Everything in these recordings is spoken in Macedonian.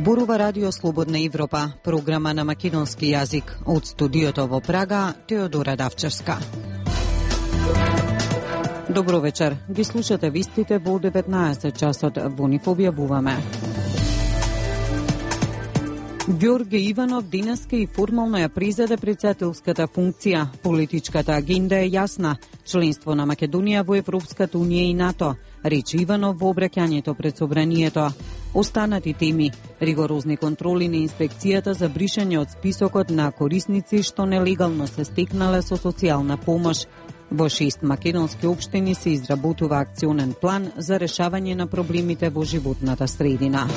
Зборува Радио Слободна Европа, програма на македонски јазик. Од студиото во Прага, Теодора Давчевска. Добро вечер. Ги слушате вистите во 19 часот. Во нив објавуваме. Ѓорѓе Иванов денеска и формално ја призеде председателската функција. Политичката агенда е јасна. Членство на Македонија во Европската унија и НАТО. Рече Иванов во обраќањето пред собранието. Останати теми: ригорозни контроли на инспекцијата за бришање од списокот на корисници што нелегално се стекнале со социјална помош. Во 6 македонски општини се изработува акционен план за решавање на проблемите во животната средина.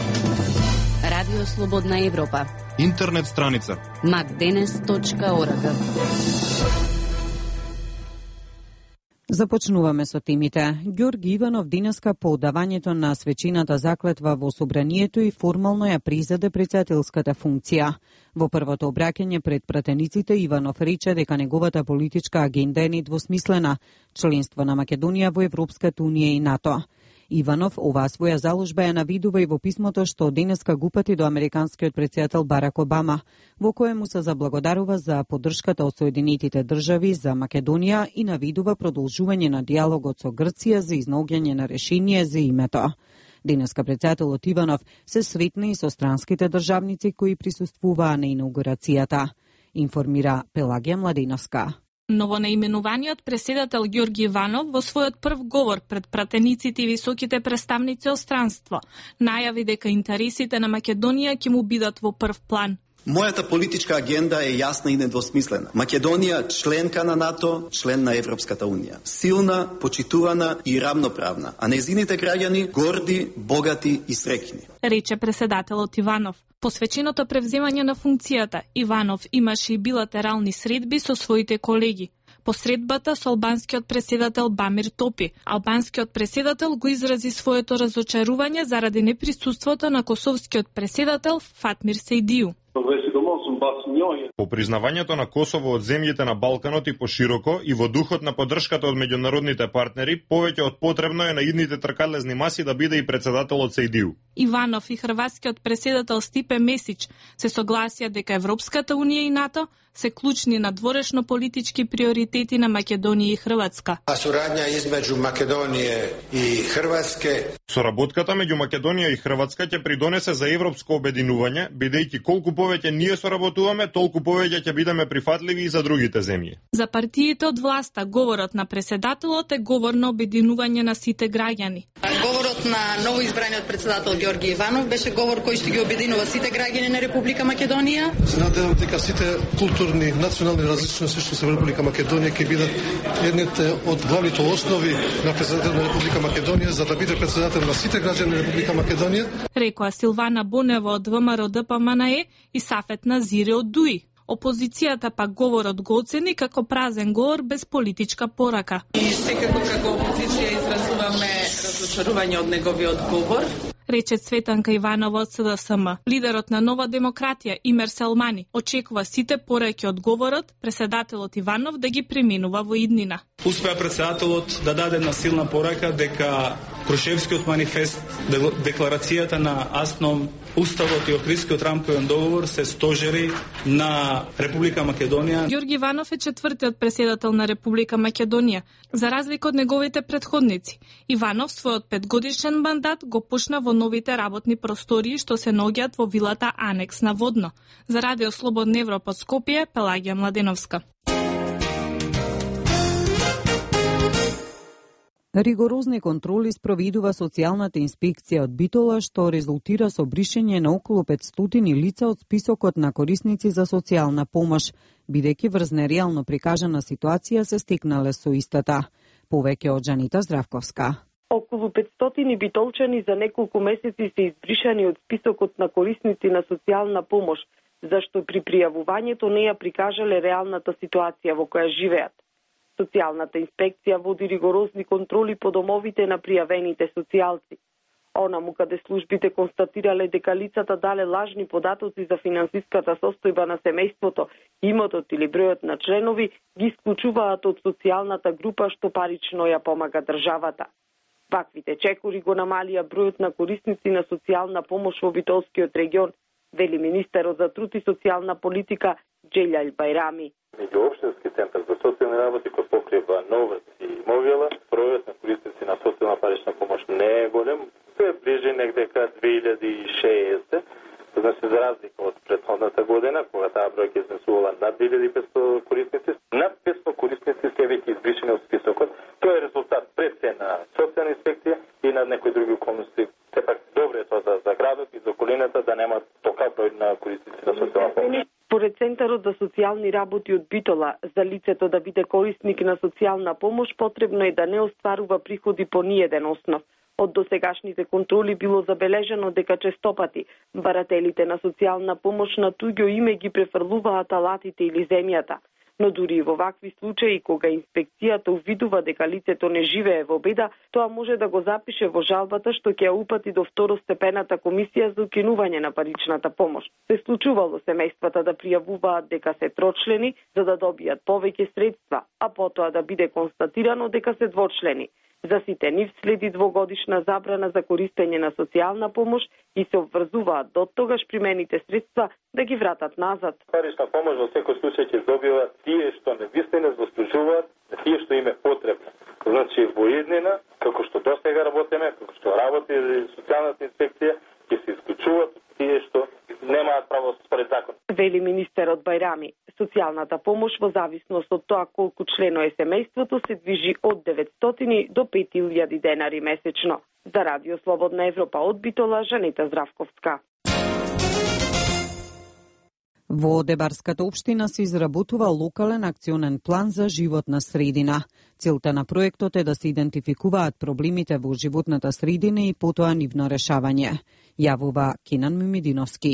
Радио Слободна Европа. Интернет страница macdenes.org. Започнуваме со темите. Ѓорѓе Иванов денеска по одавањето на свечената заклетва во собранието и формално ја призеде председателската функција. Во првото обраќање пред пратениците Иванов рече дека неговата политичка агенда е недвосмислена: членство на Македонија во Европската унија и НАТО. Иванов оваа своја заложба ја навидува и во писмото што денеска го упати до американскиот претседател Барак Обама, во кое му се заблагодарува за поддршката од Соединетите држави за Македонија и навидува продолжување на диалогот со Грција за изнаоѓање на решение за името. Денеска претседателот Иванов се сретна и со странските државници кои присуствуваа на инаугурацијата, информира Пелагија Младеновска. Новонаименуваниот преседател Ѓорѓе Иванов во својот прв говор пред пратениците и високите представници од странство најави дека интересите на Македонија ќе му бидат во прв план. Мојата политичка агенда е јасна и недвосмислена. Македонија членка на НАТО, член на Европската унија. Силна, почитувана и равноправна, а нејзините граѓани горди, богати и среќни. Рече преседателот Иванов. Посвеченото превземање на функцијата, Иванов имаше и билатерални средби со своите колеги. По средбата со албанскиот преседател Бамир Топи, албанскиот преседател го изрази своето разочарување заради неприсуството на косовскиот преседател Фатмир Сейдију. По признавањето на Косово од земјите на Балканот и пошироко и во духот на поддршката од меѓународните партнери, повеќе од потребно е на идните тркалезни маси да биде и председателот Сейдију. Иванов и хрватскиот преседател Стипе Месич се согласија дека Европската унија и НАТО се клучни на дворешно политички приоритети на Македонија и Хрватска. Сурадња измеѓу Македонија и Хрватске. Соработката меѓу Македонија и Хрватска ќе придонесе за европско обединување, бидејќи колку повеќе ние соработуваме, толку повеќе ќе бидеме прифатливи и за другите земји. За партиите од власта, говорот на преседателот е говор на обединување на сите граѓани. Говорот на новоизбраниот председател Ѓорѓе Иванов беше говор кој ќе ги обединува сите граѓани на Република Македонија. Се надевам дека сите културни, национални различности што се во Република Македонија ќе бидат едните од главните основи на председател на Република Македонија за да биде председател на сите граѓани на Република Македонија. Рекоа Силвана Бунева од ВМРО ДПМНЕ и Сафет Назири од ДУИ. Опозицијата пак говорот го оцени како празен говор без политичка порака. И секако како опозиција изразуваме разочарување од неговиот говор, рече Цветанка Иванова од СДСМ. Лидерот на Нова демократија Имер Селмани очекува сите пораки од говорот преседателот Иванов да ги преминува во иднина. Успеа председателот да даде една силна порака дека Крушевскиот манифест, декларацијата на АСНОМ, Уставот и Охридскиот рамковен договор се стожери на Република Македонија. Ѓорѓе Иванов е четвртиот преседател на Република Македонија, за разлика од неговите претходници. Иванов својот 5-годишен мандат го почна во новите работни простории што се наоѓаат во вилата Анекс на Водно. За Радио Слободна Европа Скопје, Пелагија Младеновска. Ригорозни контроли спроведува социјалната инспекција од Битола, што резултира со бришење на околу 500 лица од списокот на корисници за социјална помош, бидејќи врз нереално прикажана ситуација се стекнале со истата. Повеќе од Жанита Здравковска. Околу 500 битолчани за неколку месеци се избришани од списокот на корисници на социјална помош, зашто при пријавувањето не ја прикажале реалната ситуација во која живеат. Социјалната инспекција води ригорозни контроли по домовите на пријавените социјалци. Онаму каде службите констатирале дека лицата дале лажни податоци за финансиската состојба на семејството, имотот или бројот на членови, ги исклучуваат од социјалната група што парично ја помага државата. Ваквите чекори го намалија бројот на корисници на социјална помош во Битолскиот регион вели министерот за труд и социјална политика Джелјал Бајрами. Меѓуопштински центар за социјални работи кој покрива Новац и Мовила, бројот на корисници на социјална парична помош не е голем, се ближи негде кај 2060. Значи, за разлика од претходната година, кога таа бројка изнесувала над 2500 корисници, над 500 корисници се веќе избришени од списокот. Тоа е резултат пред се на социјална инспекција и на некои други околности. Сепак добро е тоа за градот и за околината да нема толку број на корисници на социјална помош. Според Центарот за социјални работи од Битола, за лицето да биде корисник на социјална помош, потребно е да не остварува приходи по ниеден основ. Од досегашните контроли било забележано дека честопати барателите на социјална помош на туѓо име ги префрлуваат алатите или земјата. Но дури и во вакви случаи, кога инспекцијата увидува дека лицето не живее во беда, тоа може да го запише во жалбата што ќе ја упати до второстепената комисија за укинување на паричната помош. Се случувало семејствата да пријавуваат дека се трочлени за да добијат повеќе средства, а потоа да биде констатирано дека се двочлени. За сите нив следи двогодишна забрана за користење на социјална помош и се обврзуваат до тогаш примените средства да ги вратат назад. Парична помош во секој случај ќе добиваат тие што невистина заслужуваат, тие што им е потребно. Значи во иднина, како што досега работиме, како што работи социјалната инспекција, ќе се исклучуваат тие што немаат право според закон. Вели министерот Бајрами, социјалната помош во зависност од тоа колку члено е семејството се движи од 900 до 5000 денари месечно. За Радио Слободна Европа од Битола, Жанета Здравковска. Во Дебарската општина се изработува локален акционен план за животна средина. Целта на проектот е да се идентификуваат проблемите во животната средина и потоа нивно решавање. Јавува Кинан Мимидиновски.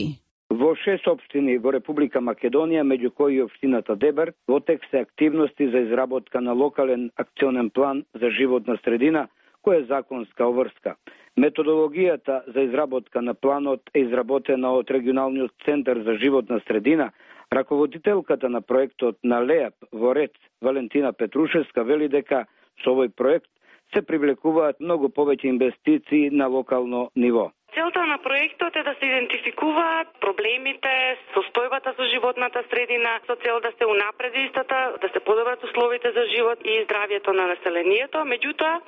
Во 6 општини во Република Македонија, меѓу кои општината Дебар, во тек се активности за изработка на локален акционен план за животна средина, која е законска обврска. Методологијата за изработка на планот е изработена од Регионалниот центар за животна средина. Раководителката на проектот на ЛЕАП во Рец, Валентина Петрушевска, вели дека со овој проект се привлекуваат многу повеќе инвестиции на локално ниво. Целта на проектот е да се идентификуваат проблемите, состојбата со животната средина, со цел да се унапреди истата, да се подобрат условите за живот и здравјето на населението. Меѓутоа,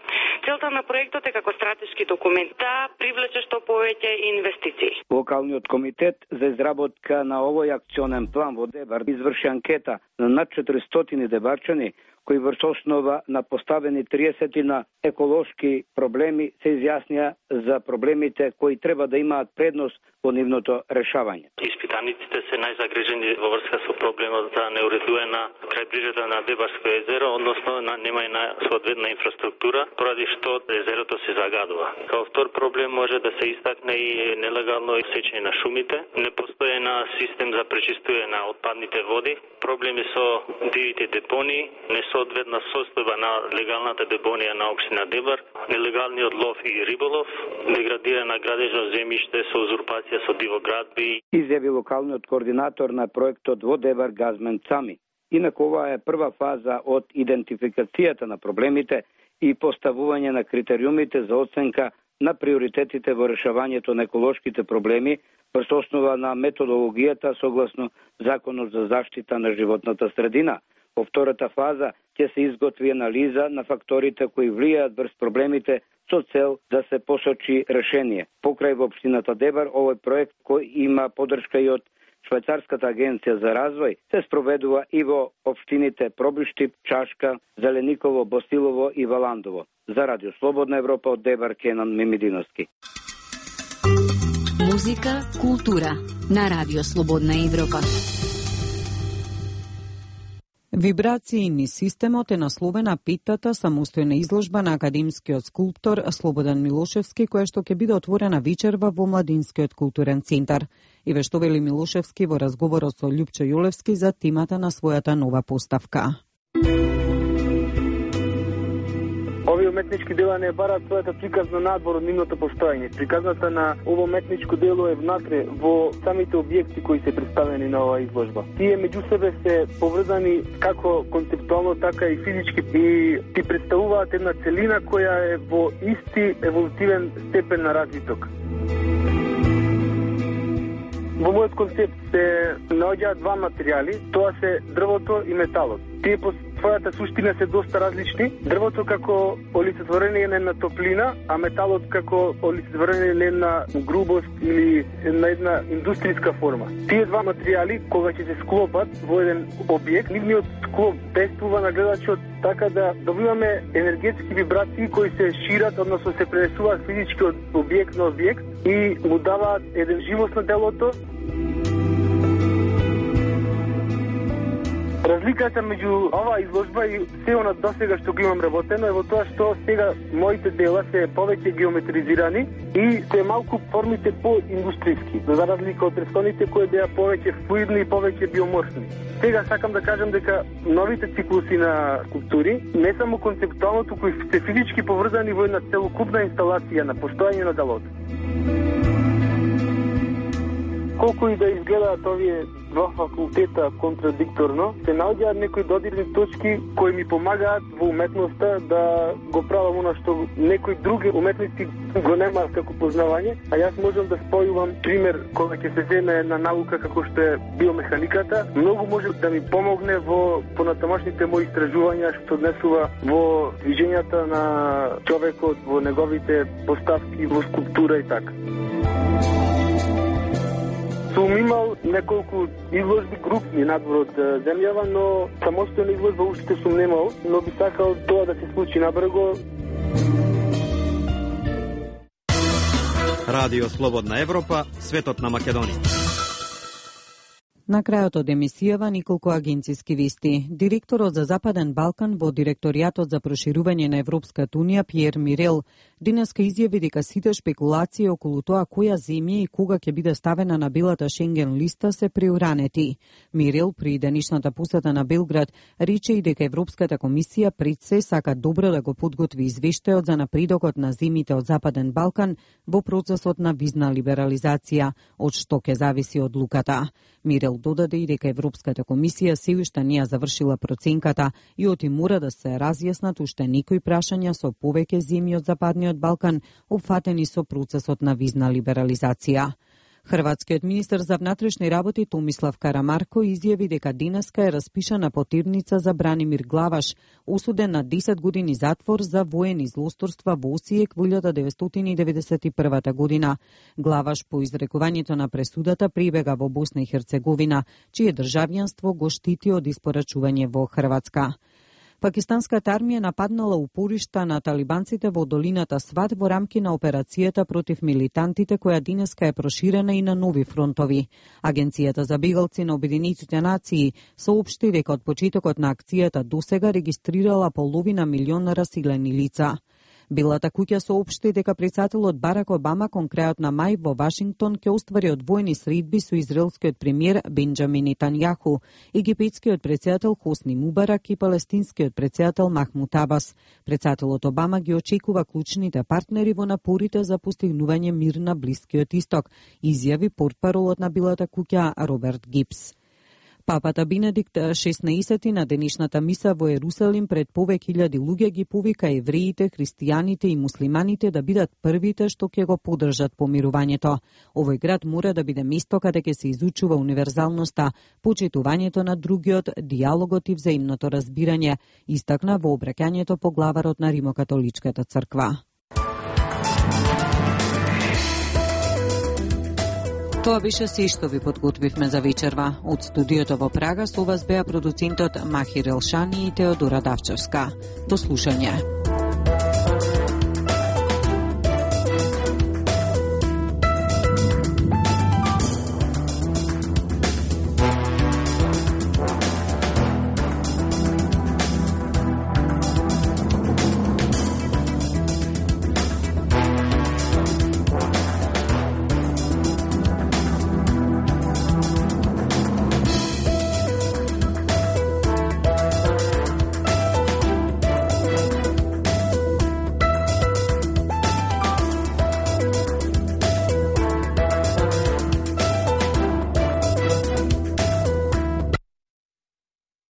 целта на проектот е како стратешки документ да привлече што повеќе инвестиции. Локалниот комитет за изработка на овој акционен план во Дебар изврши анкета на над 400 дебарчани, кои врз основа на поставени 30 на еколошки проблеми се изјаснија за проблемите кои треба да имаат предност во нивното решавање. Испитаниците се најзагрижени во врска со проблемот за неуредуена крајбрижата на Дебарско езеро, односно нема и на соодветна инфраструктура, поради што езерото се загадува. Као втор проблем може да се истакне и нелегално сечење на шумите, непостојана систем за пречистување на отпадните води, проблеми со дивите депонии, несоодветна состојба на легалната депонија на општина Дебар, нелегалниот лов и риболов, деградирана градежно земјиште со узурпација со дивоградби. Изјави локалниот координатор на проектот во Дебар Газмен Цами. Инаку ова е прва фаза од идентификацијата на проблемите и поставување на критериумите за оценка на приоритетите во решавањето на еколошките проблеми врз основа на методологијата согласно Законот за заштита на животната средина. Во втората фаза ќе се изготви анализа на факторите кои влијаат врз проблемите со цел да се посочи решение. Покрај во општината Дебар, овој проект кој има поддршка и од Швајцарската агенција за развој се спроведува и во општините Пробиштип, Чашка, Зелениково, Босилово и Валандово. За Радио Слободна Европа од Дебар, Кенан Мимидиновски. Музика, култура на Радио Слободна Европа. Вибрации низ системот е насловена петтата самостојна изложба на академскиот скулптор Слободан Милошевски, која што ќе биде отворена вечерва во Младинскиот културен центар. И ве што вели Милошевски во разговорот со Љупчо Јулевски за темата на својата нова поставка. Овие уметнички дела не бараат својата приказна надвор од нивното постоење. Приказната на ово уметничко дело е внатре во самите објекти кои се представени на оваа изложба. Тие меѓу себе се поврзани како концептуално, така и физички и ти представуваат една целина која е во исти еволутивен степен на развиток. Во мојот концепт се наоѓаат два материјали, тоа се дрвото и металот. Тие по својата суштина се доста различни. Дрвото како олицетворение на топлина, а металот како олицетворение на грубост или на една индустријска форма. Тие два материјали, кога ќе се склопат во еден објект, нивниот склоп действува на гледачот така да добиваме енергетски вибрации кои се шират, односно се пренесуваат физички од објект на објект и му даваат еден живост на делото. Разликата меѓу оваа изложба и се она досега што го имам работено е во тоа што сега моите дела се повеќе геометризирани и се малку формите по-индустријски, за разлика од претходните кои беа повеќе флуидни и повеќе биоморфни. Сега сакам да кажам дека новите циклуси на скулптури, не само концептуалното, кои се физички поврзани во една целокупна инсталација на постојање на делото. Колку и да изгледаат овие два факултета контрадикторно, се наоѓаат некои додирни точки кои ми помагаат во уметноста да го правам она што некои други уметници го немаат како познавање, а јас можам да спојувам пример кога ќе се земе една наука како што е биомеханиката, многу може да ми помогне во понатамошните мои истражувања што однесува во движењата на човекот, во неговите поставки во скулптура и така. Сум имал неколку изложби групни надвор од земјава, но самостојна изложба уште сум немал, но би сакал тоа да се случи набрзо. Радио Слободна Европа, светот на Македонија. На крајот од емисијава николку агенциски вести. Директорот за Западен Балкан во Директоријатот за проширување на Европската Унија Пиер Мирел денеска изјави дека сите шпекулации околу тоа која земја и кога ќе биде ставена на белата Шенген листа се преуранети. Мирел при денешната посета на Белград рече и дека Европската комисија пред се сака добро да го подготви извештајот за напредокот на земјите од Западен Балкан во процесот на визна либерализација, од што ќе зависи одлуката. Мирел додаде и дека Европската комисија се уште не ја завршила проценката и оти мора да се разјаснат уште некои прашања со повеќе земји од Западниот Балкан опфатени со процесот на визна либерализација. Хрватскиот министер за внатрешни работи Томислав Карамарко изјави дека денеска е распишана потирница за Бранимир Главаш, осуден на 10 години затвор за воени злосторства во Осијек во 1991 година. Главаш по изрекувањето на пресудата прибега во Босна и Херцеговина, чие државјанство го штити од испорачување во Хрватска. Пакистанската армија нападнала упоришта на талибанците во долината Сват во рамки на операцијата против милитантите, која денеска е проширена и на нови фронтови. Агенцијата за бегалци на Обединетите нации соопшти дека од почетокот на акцијата досега регистрирала половина милион расилени лица. Белата куќа соопшти дека председателот Барак Обама кон крајот на мај во Вашингтон ќе оствари одвоени средби со израелскиот премиер Бенџамин Нетањаху, египетскиот председател Хосни Мубарак и палестинскиот председател Махмуд Абас. Председателот Обама ги очекува клучните партнери во напорите за постигнување мир на Блискиот Исток, изјави портпаролот на Белата куќа Роберт Гипс. Папата Бенедикт XVI на денешната миса во Ерусалим пред повеќе илјади луѓе ги повика евреите, христијаните и муслиманите да бидат првите што ќе го поддржат помирувањето. Овој град мора да биде место каде ќе се изучува универзалноста, почитувањето на другиот, диалогот и взаимното разбирање, истакна во обраќањето по главарот на Римокатоличката црква. Тоа беше се што ви подготвивме за вечерва. Од студиото во Прага со вас беа продуцентот Махир Елшани и Теодора Давчевска. До слушање.